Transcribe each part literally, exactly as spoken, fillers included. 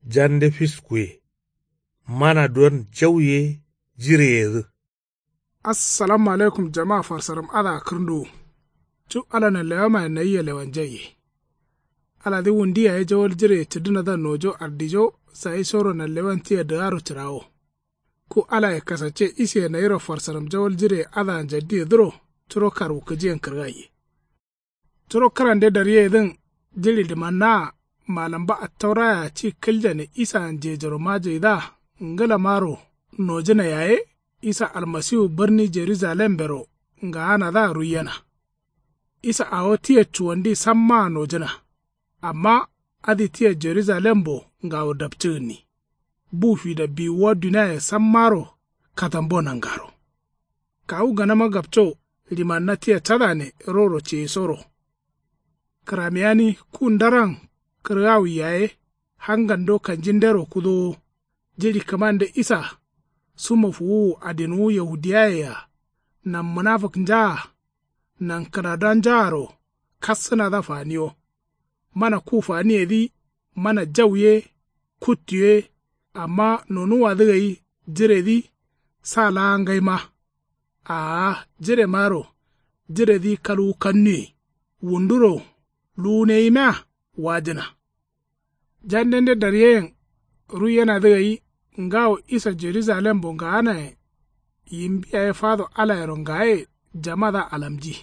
Jande fiskuye. Mana duwon jau ye jireyedǝ. Assalamu alaikum jama farsaram adǝa kǝrnduwu. Cu ala nanlewamaye nayia lewanjaiye. Aladǝ wundi yaye jawal jireye cǝdǝnadǝa nojo ardijo. Sayi soro nanlewan tia dǝgaro cǝrawo. Ku alaye kasacce isiye nayiro farsaram jawal jireye adǝa njaddiyedǝro. Curo karwukǝjiyen kǝrgaiye. Curo kǝrande daryeyedǝn. Jiɍi ɍimannaa malamba attaurayea ci kǝljane isaan jejoro majaidǝa ngǝlamaro nojǝna yaye. Isa almasiwu bǝrni jerusalembero ngaanadǝa ruiyena. Isa awo tia cuwandi sammaa nojǝna. Amma adǝ tia jerusalembo ngawo dapcǝgǝnni. Bu fida biwuwa duniaye sammaro katambo nangaro. Kawu ganama gapco ɍimanna tia cadane roro ceyisoro. Kǝramiyani ku ndaran kǝrgawwi yaye. Hangando kanjindero kudowo. Jiɍi kǝmande isa. Sumo fuwuwu adinwu yahudiyaye-a. Nan mǝnafǝknjaa. Nan kǝnadonjaaro. Kassǝnadǝa faniyo. Mana ku faniyedǝ. Mana jau ye. Kuttu ye. Amma nonuwwadǝ gai jiredǝ. Sa laa ngaima. Aa jiremaro. Jiredǝ kalwu kannuye. Wunduro luwuneyimea. Wajǝna. Jandende daryeyen ruiyenadǝ gai. Ngawo isa jerusalembo ngaanayen. Yimbi yaye fado alayero ngaye jamadǝa alamji.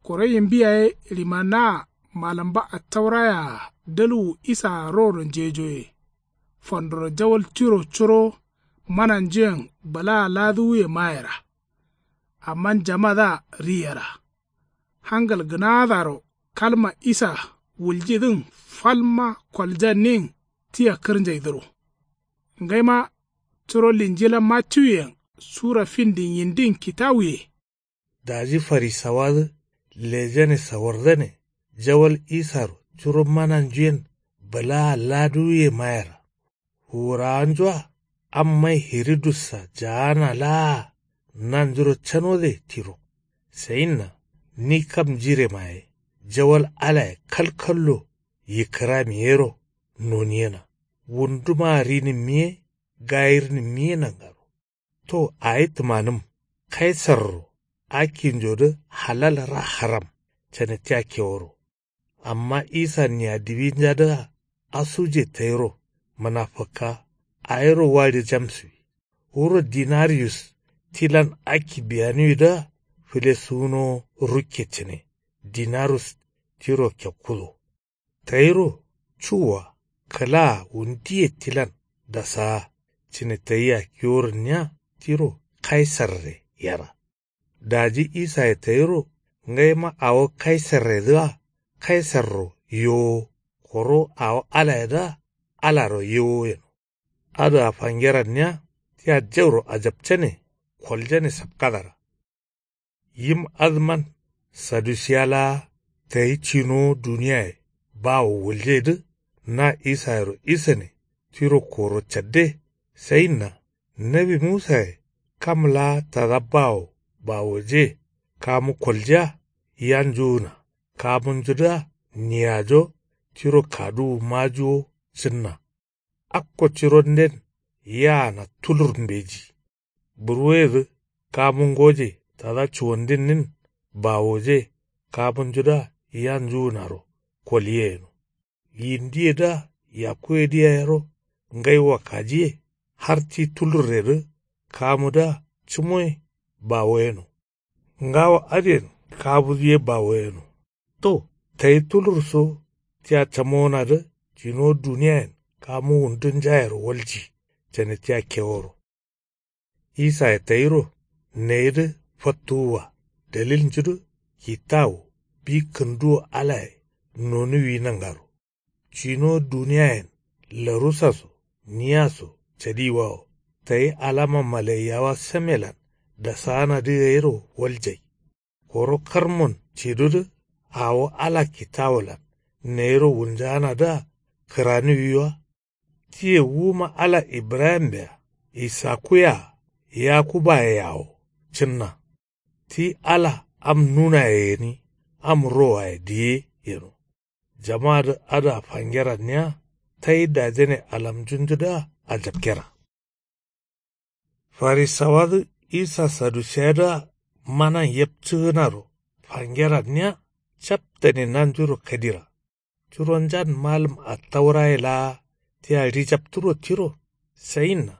Koro yimbi yaye ɍimannaa malamba attaurayaa dalwu isaa roro njejoye. Fandoro jawal tiro curo mananjuyen bǝlaa laduwuye mayera. Amma jamadǝa riyera. Hangal gǝnaadaro kalma isa wuljidǝn falma koljannin tia kǝrnjaidǝro. Ngaima curo linjila mattiwuyen sura findin yindin kitawuye. Daji farisawadǝ lejane sawardane jawal isaro curo mananjuyen bǝlaa laduwuye mayera. Wurawanju-a ammayi hiridus-a jaana laa-a nanjuro canode tiro. Sayinna ni kam jirema ye jawal alaye kalkallo yikkǝrami yero noniyena. Wundumaa rinǝmmi ye gayirnǝmmi ye nangaro. To awi tǝmanǝm kaisarro akkinjodǝ halal ra haram cane tia keworo. Amma isa nia diwinjadǝa asuje tayiro mǝnafǝkka awiro waɍi jamsǝwi. Wuro dinariyus tilan akki biyaniwidǝa fǝlesuwunowo rukke cǝne. Dinarus tiro kekkudo. Tayiro cuwwa kǝlaa wundiye tilan dasaa cǝne tayia kiworǝnniya tiro kaisarre yera. Daji isaye tayiro ngaima awo kaisarredǝa kaisarro yewowo. Koro awo alayedǝa alaro yewowo yeno. Adǝa fangeranniya tia jauro ajapcane koljane sapkadara. Yim adǝman sadusiya laa tayi cinowo duniyaye bawo wuljeidǝ na isayero isane tiro koro cadde. Sayinna nawi musaye kam laa tada bawo bawoje kamu koljiya yanjuwuna kamunjudǝa niyajo tiro kaduwu majuwo cǝnna. Akko cironden yaana tulur mbeji. Burwoyedǝ kamu ngoje tada cuwandinnin bawoje kamunjudǝa yanjuwunaro koliye yeno. Yindiyedǝa yakkuwedǝ yayero ngai wakkajiye har ti tulurredǝ kamudǝa cǝmoye bawo yeno. Ngawo adǝyen kabudǝ ye bawo yeno. To tayi tulur so tia camowonadǝ cinowo duniyayen kamu wundunjayero walji cane tia keworo. Isaye tayiro nayidǝ fattuwwa dalilnjudǝ kitawu bi kǝnduwo alaye nonuwi nangaro. Cinowo duniyayen larusa so niya so cadiwawo tayi alama malaiyawa samelan dasaanadǝ gairo waljai. Koro karmon cidudǝ awo ala kitawolan nayiro wulnjaanadǝa kǝraniwi wa. Tiye wuma ala ibrahimbe-a isakkuye-a yakubaye-a wo cǝnna. Ti ala am nunaye gǝni am rowaye diye yeno. Jamadǝ adǝa fangeranniya tai dajane alamjunjudǝa ajapkera. Farisawadǝ isa sadusiyadǝa manan yepcǝgǝnaro fangera niya. Captane nanjuro kadira. Curonjan malǝm attauraye laa tia ɍijapturo tiro sayinna.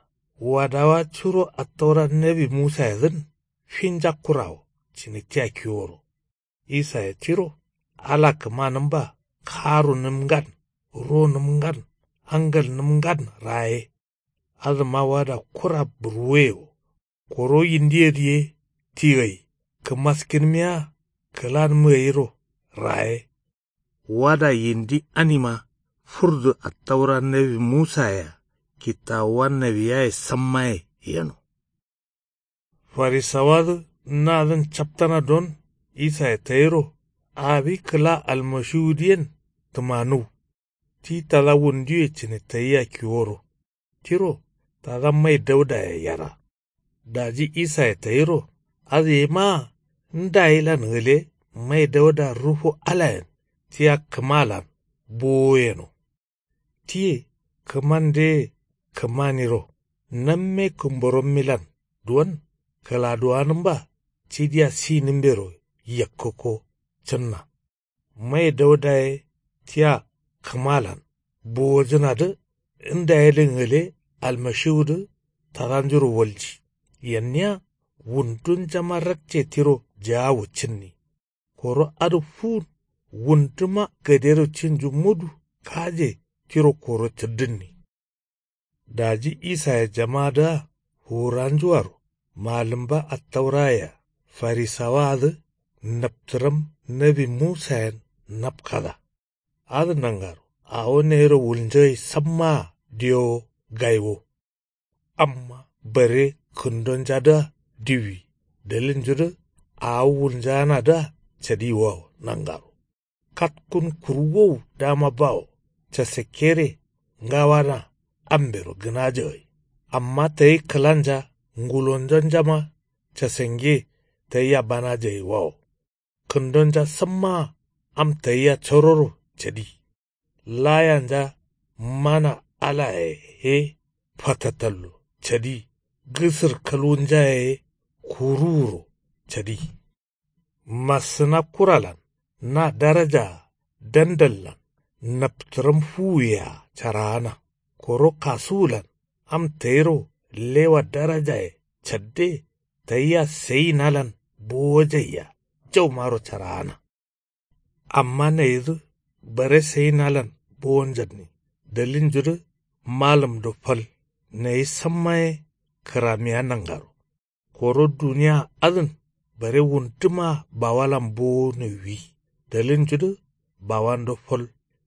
Wadawa curo attaura nawi musayedǝn finja kurawo cǝne tia kiworo. Isaye tiro ala kǝmanǝmba karunǝmngan ronǝmngan hangalnǝmngan raye. Adǝma wada kura burwuye wo. Koro yindiyedǝ ye ti gai kǝmaskinmiya kǝlanǝm gairo raye. Wada yindi anima furdu attaura nawi musayea kittawuwa nawiyaye sammaye yeno. Farisawadǝ nadǝn captana don isaye tayiro awi kǝla almashiwudǝyen tǝmanuw. Ti tada wunduye cǝne tayia kiworo tiro tada mai daudaye yara. Daji isaye tayiro adǝ ye maa ndayilan gǝle mai dauda rufu alayen tia kǝmalan bowo yeno. Tiye kǝmandeye kǝmaniro namme kǝmborommilan duwon kǝladuwanǝmba cidiya sinǝmbero yakkǝkko cǝnna. Mai daudaye tia kǝmalan bowojǝnadǝ ndayedǝn gǝle almashiwudǝ tadanjuro walji. Yanniya wundunjama rakce tiro jaawu cǝnni. Koro adǝ fuwun wunduma gadero cinju mudu kaje tiro koro cǝddǝnni. Daji isaye jamadǝa fuwuranjuaro malǝmba attaurayea farisawaadǝ naptǝram nawi musayen napkada. Adǝ nangaro awo nayiro wulnjoye sammaa diyowo gaiwo. Amma bare kǝndonjadǝa diwwi dalilnjudǝ awo wulnjaanadǝa cadiwawo nangaro. Katkun kurwowu dama bawo casakkere ngawana ambero gǝnaja gai. Amma tayi kǝlanja ngulonjonjama casange tayia banaja gai wawo. Kǝndonja sammaa am tayia cororo cadi. Layanja mana alaye ye fatatallo cadi. Gǝsǝr kalwunjaye ye kuruwuro cadi. Massǝna kuralan na darajaa dandallan naptǝram fuwuyea caraana. Koro kasuwulan am tayiro lewa darajaye cadde tayia sayinalan bowojaiya jaumaro caraana. Amma nayidǝ bare sayinalan bowonjanni dalilnjudǝ malǝmdo fal nayi samma ye kǝramiya nangaro. Koro duniya adǝn bare wunduma bawalan bowonǝwi dalilnjudǝ bawando fal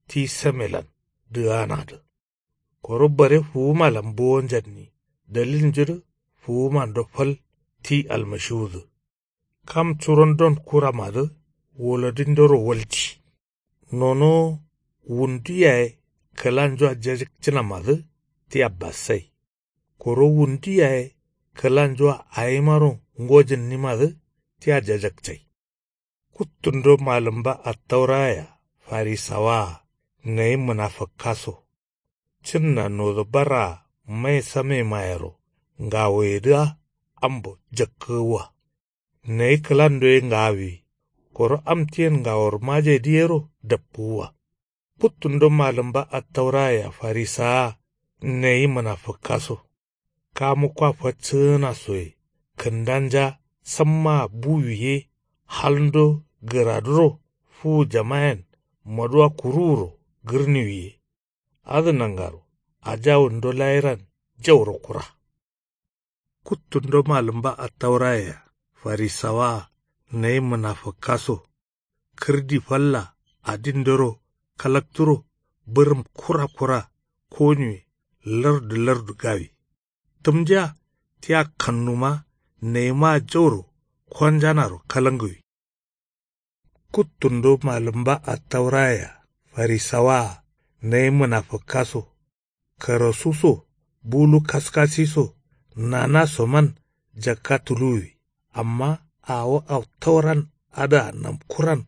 ti samelan dǝganadǝ. Koro bare fuwumalan bowonjanni dalilnjudǝ fuwumando fal ti almashiwudǝ. Kam curondon kuramadǝ wolodindoro walji. Nonowo wundu yaye kǝlanjua jajǝkcǝnamadǝ tia bassai. Koro wundu yaye kǝlanjua awimaro ngojǝnnimadǝ tia jajakcai. Kuttundo malǝmba attaurayea farisawaa nayi mǝnafǝkkaso. Cǝnna nodo barraa mai samemayero ngawoyedǝa ambo jakkǝgǝwwa. Nayi kǝlando ye ngawiwi koro am tiyen ngawor majai dǝ yero dapkǝgǝwwa. Kuttundo malǝmba attaurayea farisawa nayi mǝnafǝkkaso. Kamukkoa faccǝgǝnasoye kǝndanja sammaa buwi ye halndo gǝraduro fuwujamayen maduwa kuruwuro gǝrniwi ye. Adǝ nangaro ajawundo layiran jauro kura. Kuttundo malǝmba attaurayea farisawaa nayi mǝnafǝkkaso. Kǝrdi falla adindoro kalakturo bǝrǝm kura kura koniwe lardu lardu gawi. Tǝmdiya tia kannuma nayimaa jauro konjanaro kalangǝwi. Kuttundo malǝmba attaurayea farisawaa nayi mǝnafǝkkaso. Karasu so bulu kaskasi so nana soman jakka tuluwwi. Amma awo autauran adǝa namkuran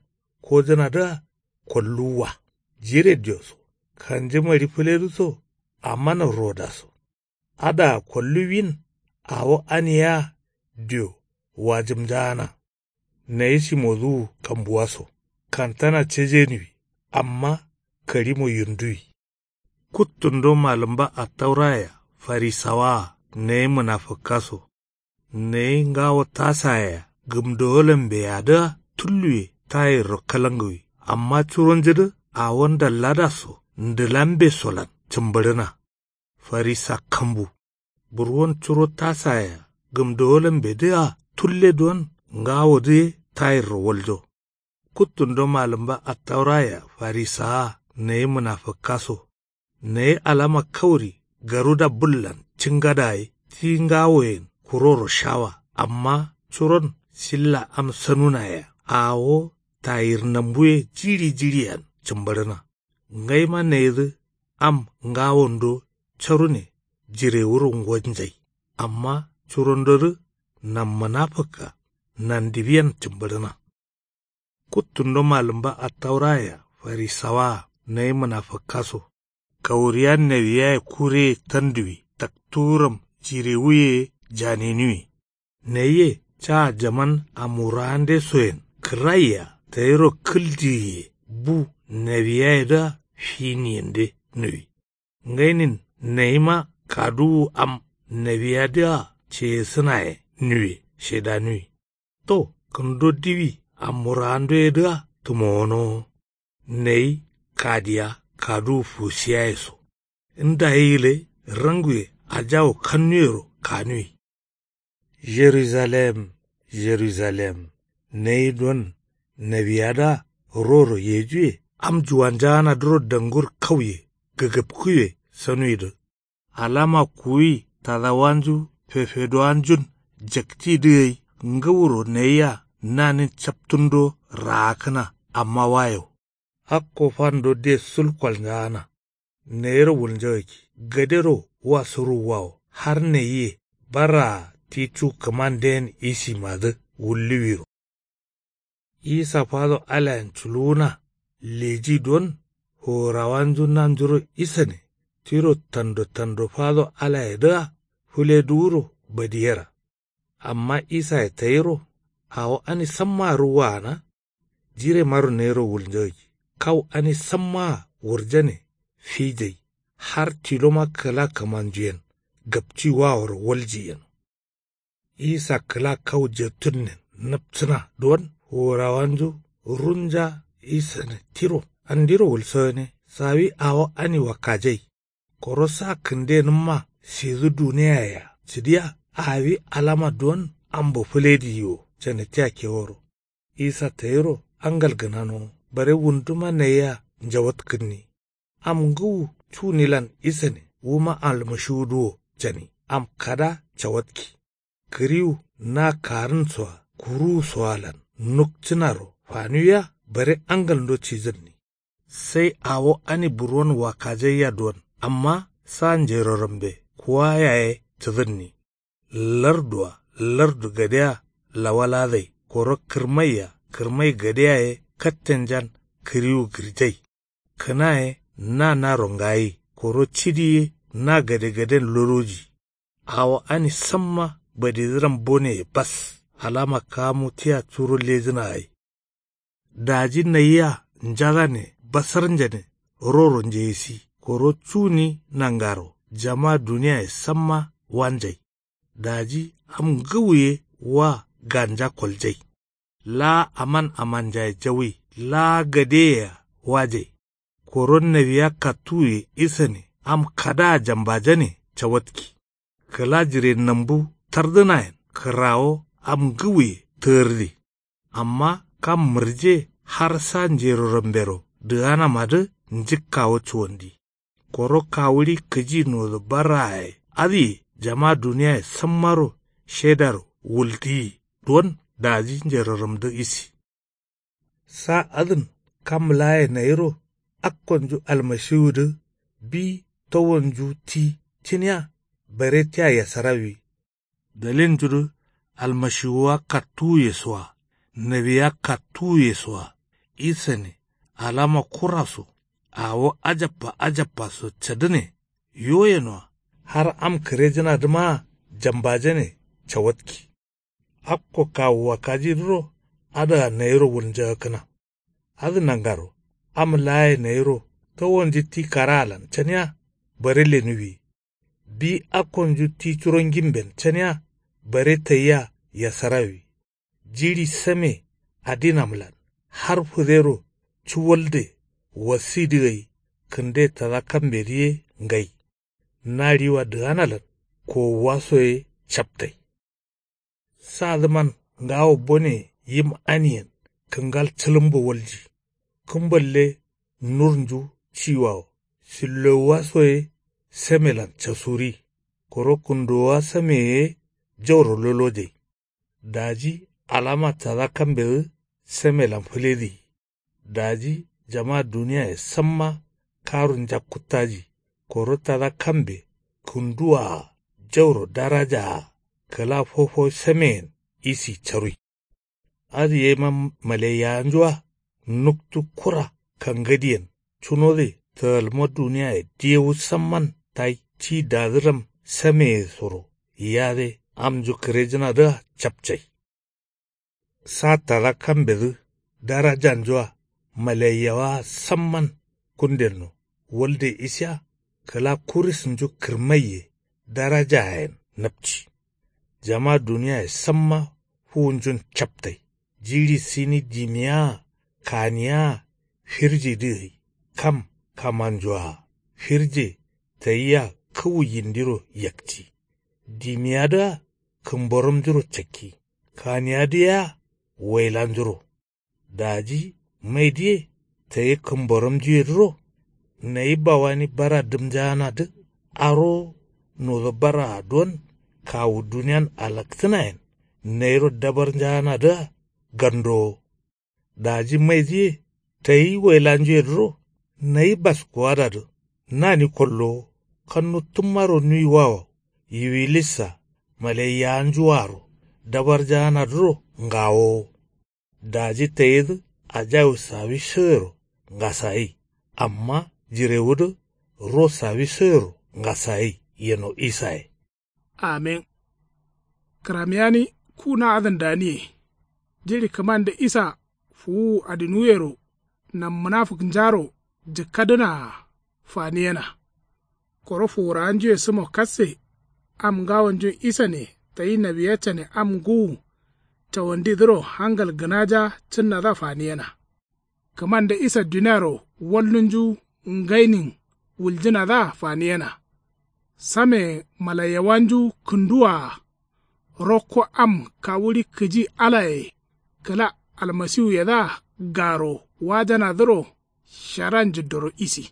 kojǝnadǝa kolluwwa. Jire diyo so Kanjǝ mari fǝledǝ so. Amma nan rodaso. Adǝa kolluwin. Awo ani yea dio wajǝmnjaana. Nayi shimodǝwu kambuwaso. Kantana cejenuwi. Amma karimo yirnduwi. Kuttundo malǝmba attaurayea farisawaa nayi mǝnafǝkkaso. Nayi ngawo tasayea gǝmdowolanmbeyadǝa tulluwe tayirro kalangǝwi. Amma curonjudǝ awo ndalladaso ndǝlambesolan cǝmbǝɍǝna. Farisa kambu. Burwon curo tasayea gǝmdowolanmbedǝa tulle don ngawodǝ ye tayirro waljo. Kuttundo malǝmba attaurayea farisawa nayi mǝnafǝkkaso. Nayi alama kauri garuda bullan cingada ye ti ngawoyen kuroro shawa. Amma curon silla am sanunayea awo tayirnambuwe jiɍi jiɍiyen cǝmbǝɍǝna. Ngaima nayidǝ am ngawondo carune jirewuro ngonjai. Amma curondodǝ nan mǝnafǝkka nandiwiyen cǝmbǝɍǝna. Kuttundo malǝmba attaurayea farisawaa nayi mǝnafǝkkaso. Kauriya nawiyaye kureye tanduwi taktuwuram jirewuye ye janinuwi. Nayiye ca jaman amurawandesoyen kǝraiya tayiro kǝldiyiye bu nawiyayedǝa finiyende nuwi. Ngainin nayima kaduwu am nawiyadǝa ceyesǝnaye nuwe shedanuwi. To kǝndo diwi amurawandoyedǝa tǝmowonowo. Nayi kadiya kaduwu fusiyaye so. Ndayi gǝle ranguwe ajawu kannuyero kanuwi. Jeruzalem, Jeruzalem, nayi don nawiyadǝa roro yejuwe am juwanjaanadǝro dangur kauye gǝgǝpkuwe sanuwidǝ. Alama kuwuwi tadawanju fefedowanjun jaktidǝ gai ngǝwuro nayia nanin captundo raakǝna. Amma wayo akko fando de sul kolnjaana. Nayiro wulnjagakki gadero wa suruwwawo har nayiye baraa ti cu kǝmanden isimadǝ wulluwiro. Isa fado alayen culuwuna leji don forawanju nanjuro isane tiro tando tando fado alayedǝa fǝleduwuro badiyera. Amma isaye tayiro awo ani sammaa ruwwaana. Jiremaro nayiro wulnjagakki kau ani sammaa wurjane fijai har tiloma kǝla kǝmanjuyen gapci waworo walji yeno. Isa kǝla kau jetunnen nǝpsǝna don forawanju runja isane tiro andiro wulso gǝne sawi awo ani wakkajai. Koro sa kǝndenǝmma sidǝ duniyayea cǝdiya awi alama don ambo fǝlediyi wo cane tia keworo. Isa tayiro angal gǝnanowo bare wunduma nayia njawatkǝnni. Am ngǝwu cunilan isane wuma almashiwudǝ wo cani am kada cawatki. Kǝriwu na karǝnsoa kuruwusoalan nukcǝnaro fanuwiya bare angalndo cidǝnni. Sai awo ani burwon wakkajaiya don amma sa njerorambe kuwa yaye cǝdǝnni. Larduwa lardu gadea lawaladai koro kǝrmaiya kǝrmai gadea ye kattenjan kǝriwu gǝrjai. Kǝna ye na naro ngayi koro cidi ye na gadegaden loloji. Awo ani samma badidǝram boneye bas alama kamu tia curo lejǝna gai. Daji nayia njadane basarnjane roro njeyisi koro cuni nangaro jama duniyaye samma wanjai. Daji am ngǝwu ye wa ganja koljai. Laa aman amanjaye jawai laa gadeyea wajai. Koro nawiya kattuwuye isane am kadaa jambajane cawatki. Kǝla jirenambu tardǝnayen kǝrawo am ngǝwuye tǝgǝrdi. Amma kam mǝrje har sa njerorambero dǝganamadǝ njǝkkawo cuwandi. Koro kawuɍi kǝji nodǝ barraaye adǝye jama duniyaye sammaro shedaro wuldiyi don daji njeroramdǝ isi. Sa adǝn kam laaye nayiro akkonju almashiwudǝ bi towonju ti cǝniya bare tia yasarawi. Dalilnjudǝ almashiwuwa kattuwuye soa nawiya kattuwuye soa isane alama kuraso awo ajabba ajabba so cadǝne. Yo yenoa har am kǝrejǝnadǝmaa jambajane cawatki. Akko kawu wakkajidǝro adǝa nayiro wulnjagakkǝna. Adǝ nangaro am laaye nayiro towonju ti karaalan caniya bare lenuwi. Bi akkonju ti curo ngimben caniya bare tayia yasarawi. Jiɍi same adinamlan har fǝdero cuwalde wasidǝ gai kǝnde tada kambedǝ ye ngai. Naɍiwa dǝganalan kowuwa soye captai. Sadǝman ngawo bone yim aniyen kǝngal cǝlǝmbo walji. Kǝmballe nurnju ciwawo sillowuwa soye samelan casuri. Koro kǝndowowa sameye ye jauro lolojai. Daji alama tada kambedǝ samelan fǝlediyi. Daji jama duniyaye samma karu njakkuttaji. Koro tada kambe kǝnduwaa jauro darajaa kǝla fofo sameyen isi carui. Adǝ yema malaiyawanjua nuktu kura kangadiyen cunode tǝgalma duniyaye diyewu samman tai ti dadǝram sameye soro yiyade amnju kǝrejǝnadǝa capcai. Sa tada kambedǝ darajanjua malaiyawaa samman kundenno walde isiya kǝla kurisǝnju kǝrmaiye darajayen napci. Jama duniyaye samma fuwunjun captai. Jiɍi sini dimiyaa kaniyaa firjidǝ gai kam kamanjua firje tayia kǝwu yindiro yakci. Dimiyadǝa kǝmboromnjuro cakki. Kaniyadǝ yea wailanjuro. Daji maidǝye tayi kǝmboromjuyedǝro nayi bawani bara dǝmnjaanadǝ aro nodo baraa duwon kawu duniyan alaktǝnayen nayiro dabarnjaanadǝa gandowo. Daji maidǝye tayi wailanjuyedǝro nayi baskuwadadǝ nani kollowo kannu tǝmmaro nuiwawo yiwilissa malaiyawanjuaro dabarjaanadǝro ngawowo. Daji tayidǝ ajawu sawissoyero ngasagai amma jirewudǝ ro sawissoyero ngasagai yeno isaye. Amin. Kǝramiyani ku na adǝn daniye jiɍi kǝmande isa fuwuwu adinuwuyero nam munafǝknjaro jǝkkadǝnaa faniyena. Koro fuwurawanjuye sǝmo kasse am ngawonjun isane tayi nawiya cane am ngǝwu cawandidǝro hangal gǝnaja cǝnnadǝa faniyena. Kǝmande isa duniaro wallunju ngainin wuljǝnadǝa faniyena. Same malaiyawanju kǝnduwaa rokko am kawuɍi kǝji alaye kǝla almasiwuyedǝa garo wajanadǝro shara njiddoro isi.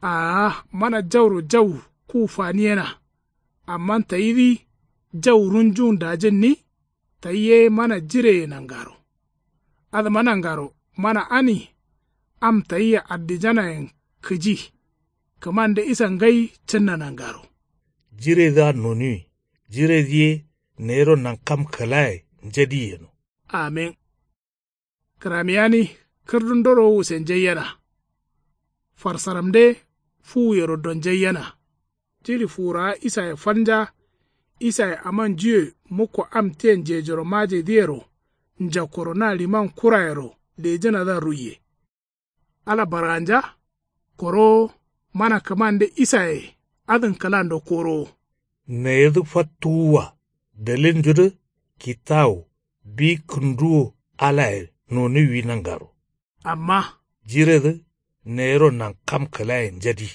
Aa mana jauro jau ku faniyena. Amma tayidǝ jau runjun dajǝnni tayi ye mana jireye nangaro. Adǝma nangaro mana ani am tayia addijanayen kǝji. Kǝmande isa ngai cǝnna nangaro. Jiredǝa nonuwi jiredǝ ye nayiro nankam kǝlaye njadi yeno. Amin. Kǝramiyani kǝrdundoro wusenjaiyena. Farsaramde fuwuyero donjaiyena. Jiɍi fuwurawa isaye falnja. Isaye amanjuye mukko am tiyen jejoro majedǝyero njakkoro na liman kurayero lejǝnadǝa ruiye. Ala barganja koro mana kǝmande isaye adǝn kǝlando korowo. Nayidǝ fattuwuwa dalilnjudǝ kitawu bi kǝnduwo alaye nonuwwi nangaro. Amma jiredǝ nayiro nankam kǝlaye njadi.